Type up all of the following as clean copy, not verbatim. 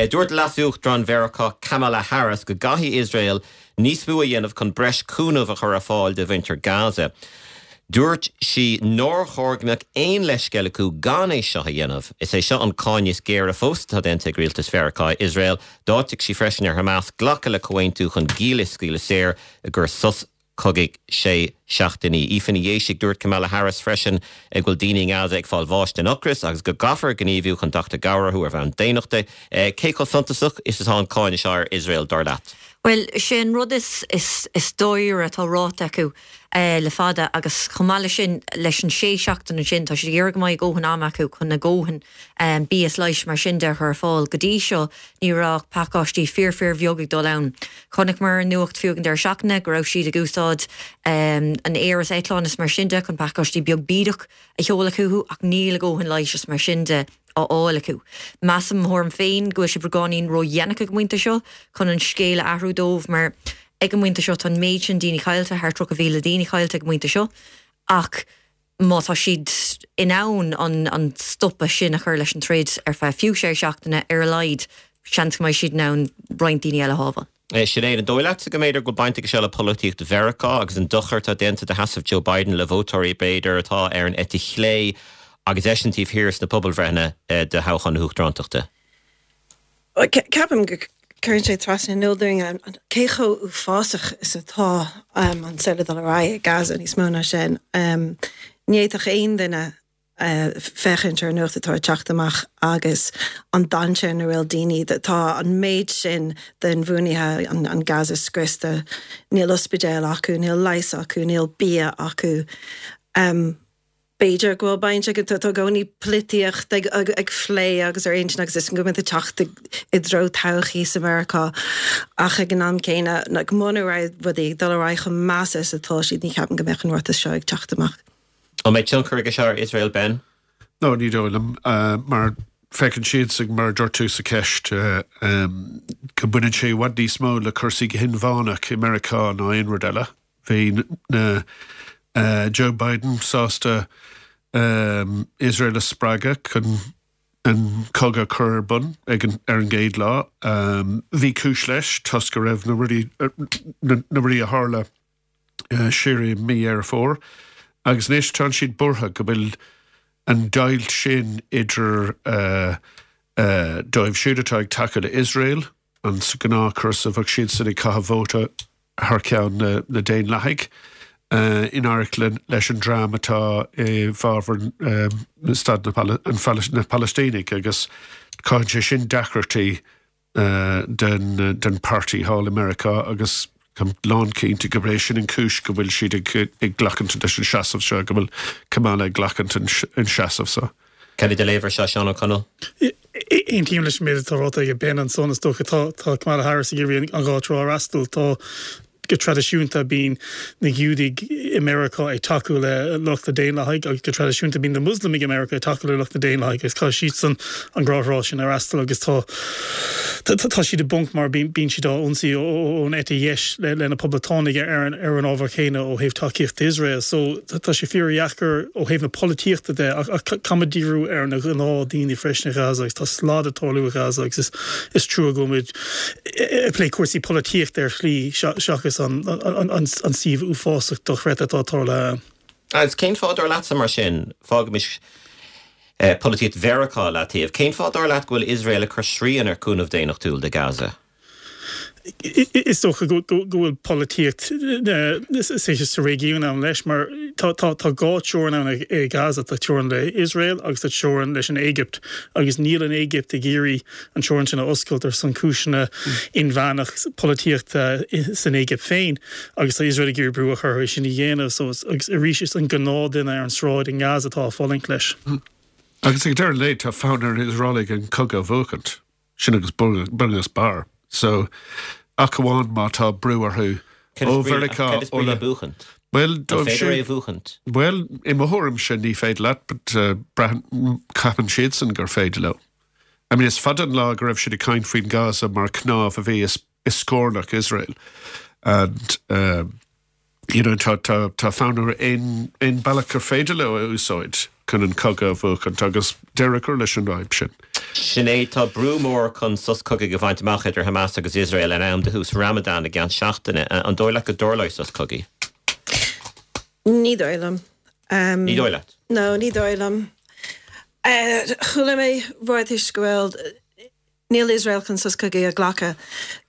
Dúirt Leas-Uachtarán Mheiriceá Kamala Harris go gcaithfidh Iosrael níos mó a dhéanamh chun breis cúnaimh a chur ar fáil do mhuintir Gaza. Dúirt sí nár chóir go mbeadh aon leithscéal acu gan é seo a dhéanamh. Is é seo an cáineadh is géire fós atá déanta ag rialtas Mheiriceá ar Iosrael. D'áitigh sí freisin ar Hamas glacadh le comhaontú chun giall a scaoileadh saor i gcomhair sos cogaidh sé seachtainí. Aoife Ní Dhéisigh, Dúirt Kamala Harris freisin go bhfuil daoine i nGaza ag fáil bháis den ocras agus go gcaithfear gníomhú chun teacht i gcabhair orthu ar bhonn daonnachta. Cé chomh suntasach is atá an cáineadh seo ar Iosrael, dar leat? Bhuel, sé an rud is is dáiríre atá ráite acu le fada agus chomh maith leis sin, leis an sé seachtain ansin, tá siad ag iarraidh go mbeidh a dhóthain ama acu chun a dhóthain bia is leighis mar sin de a chur ar fáil. Go dtí seo ní raibh ach pacáistí fíor fíor bheag ag dul ann. Chonaiceamar ar an nuacht fiú ag an deireadh seachtaine go raibh siad ag úsáid an aer is eitleáin is mar sin de chun pacáistí beag bídeach a sheoladh chucu ach níl a dhóthain leighis is mar sin de á fháil acu. Measaim, mo thuairim féin, go bhfuil sé beagáinín ródhéanach ag an bpointe seo chun an scéal a athrú dóibh mar ag an bpointe seo tá an méid sin daoine caillte, thart 30,000 daoine caillte ag an bpointe seo ach má tá siad in ann an stopadh sin a chur leis an troid ar feadh fiú sé seachtaine ar a laghad, seans go mbeidh siad in ann roinnt daoine eile a shábháil. Sinéad, an dóigh leatsa go mb'fhéidir go bhfuil baint aige seo le polaitíocht Mheiriceá agus an dochar atá déanta do sheasamh Joe Biden le vótóirí b'fhéidir atá ar an eite chlé agus eisean taobh thiar sna pobalbhreitheanna do thoghchán na huachtarántachta? Ceapaim go gcuireann sé trasna in iúl dúinn cé chomh uafásach is atá an saol ag dul ar aghaidh i Gaza, níos mó ná sin. Ní fhéadfadh aon duine féachaint ar an nuacht atá ag teacht amach agus an dainséar ina bhfuil daoine. Tá an méid sin den bhuanaithe, an Gaza scriosta, níl ospidéal acu, níl leigheas acu, níl bia acu. B'fhéidir go bhfuil baint aige, tá i gcónaí polaitíocht ag plé agus ar intinn agus is go mbeidh teacht i dtreo todhchaí sa Mheiriceá ach ag an am céanna, muna raibh rudaí ag dul ar aghaidh chomh measa is atá siad, ní cheapaim go mbeadh an ráiteas seo ag teacht amach. An mbeidh tionchar aige seo ar Iosrael, Ben? No, ní dóigh liom, mar feiceann siadsan, mar a dúirt tú sa cheist, go mbaineann sé i bhfad níos mó le cúrsaí go hinmheánach i Meiriceá ná aon rud eile. Bhí na Joe Biden sásta Iosrael a spreagadh chun an cogadh a chur ar bun ag an ar an gcéad lá. Bhí cúis leis toisc go raibh na rudaí na rudaí a tharla siar i mí Dheireadh Fómhair agus anois tá siad buartha go bhfuil an deighilt sin idir dóibh siúd atá ag tacú le Iosrael, an sa ghnáthchúrsa bheadh siadsan ag caitheamh vóta thar ceann na Daonlathaigh, in éineacht leis an dream atá i bhfabhar staid na Palaistínigh agus cothaíonn sé sin deacrachtaí den páirtí thall i Meiriceá agus táim lánchinnte gurb é sin an chúis go bhfuil siad ag glacaint leis an seasamh seo, go bhfuil Kamala ag glacaint an seasamh seo. Cad é do léamh ar seo, Seán Ó Conaill? Aontaím leis an méid atá ráite ag Ben ansan. Is dócha tá Kamala Harris ag iarraidh an dhá trá a fhreastal. Tá go traidisiúnta bíonn na Giúdaigh i Meiriceá ag tacú le lucht na Daonlathaigh agus go traidisiúnta bíonn na Muslamaigh i Meiriceá ag tacú le lucht na Daonlathaigh agus caithfidh siadsan an dhá thrá sin a fhreastal agus tá tá siad i bponc mar bíonn siad á ionsaí ón eite dheis le na Poblachtánaigh ar an ábhar chéanna ó thaobh tacaíocht d'Iosrael. So tá sé fíordheacair ó thaobh na polaitíochta de ach caithfimid díriú ar na gnáthdhaoine freisin i Gaza agus tá slad ag tarlú i Gaza agus is trua go bhfuil muid ag plé cúrsaí polaitíochta ar shlí seachas an suíomh uafásach dochreidte atá tarlaithe ann. Agus cén fáth dar leatsa mar sin, fágaimis polaitíocht Mheiriceá leataobh, cén fáth dar leat go bhfuil Iosrael ag cur srian ar chúnamh daonnachtúil do Gaza? Is dócha go bhfuil polaitíocht sa réigiún ann leis mar tá dhá teorainn ann i Gaza, tá teorainn le Iosrael agus tá teorainn leis an Éigipt agus níl an Éigipt ag iarraidh an teorainn sin a oscailt ar son cúiseanna inmheánach polaitíochta san Éigipt féin agus tá Iosrael ag iarraidh brú a chur orthu é sin a dhéanamh so agus arís is an gnáthduine ar an sráid i nGaza atá ag fulaingt leis. Agus ag deireadh an lae tá fonn ar Iosraelaigh an cogadh a bhuachaint, sin agus bun agus barr. So ach amháin má tá brú orthu ó Mheiriceá Cad is brí le buachaint? Bhuel, An féidir é a bhuachaint? Bhuel, i mo thuairimse ní féidir leat, but braitheann, ceapann siadsan gur féidir leo. I mean, is fada an lá go raibh siad ag caint faoin Gaza mar cnámh a bhí i scornach Iosrael and you know tá tá tá fonn orthu aon aon bealach gur féidir leo a úsáid. chun an cogadh a bhuachaint agus deireadh a chur leis an bhfadhb sin. Sinéad, tá brú mór chun sos cogaidh a bhaint amach idir Hamas agus Iosrael in am do thús Ramadan i gceann seachtaine. An dóigh leat go dtarlóidh sos cogaidh? Ní dóigh liom. Ní dóigh leat? No, ní dóigh liom. Chuala mé ráitis go bhfuil Níl Iosrael chun sos cogaidh a ghlacadh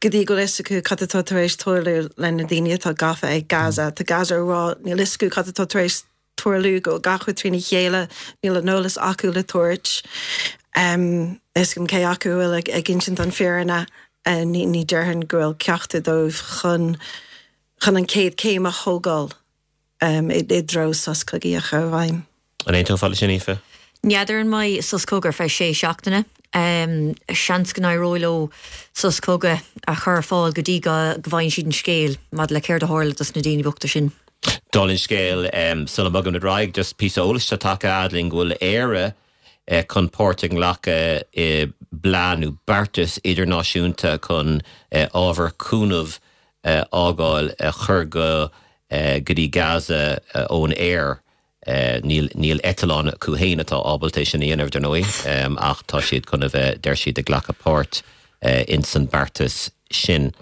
go dtí go bhfuil fhios acu cad atá tar éis tarlú le na daoine atá gafa ag Gaza. Tá Gaza ag rá níl fhios acu cad atá tar éis tarlú, go bhfuil gach rud trína chéile, níl an eolas acu le tabhairt. Níl fhios agam cé acu a bhfuil ag insint an fírinne. Ní déarfainn go bhfuil ceachtar dóibh chun chun an chéad chéim a thógáil. i dtreo sos cogaidh a chur i bhfeidhm. An aontófá leis sin, Aoife? N'fheadar an mbeidh sos cogaidh ar feadh sé seachtaine. Seans go n-éireoidh leo sos cogaidh a chur ar fáil go dtí go bhfaigheann siad an scéal maidir le céard a tharla dos na daoine bochta sin. Dála an scéil, sula mbogaimid ar aghaidh, just píosa eolais atá tagtha fhad linn go bhfuil Éire chun páirt a ghlacadh i bplean nó beartas idirnáisiúnta chun ábhar cúnaimh a fhágáil a chur go go dtí Gaza ón aer. Níl níl eitleán acu féin atá ábalta é sin a dhéanamh, dar ndóigh, ach tá siad chun a bheith, deir siad, ag glacadh páirt ins an beartas sin.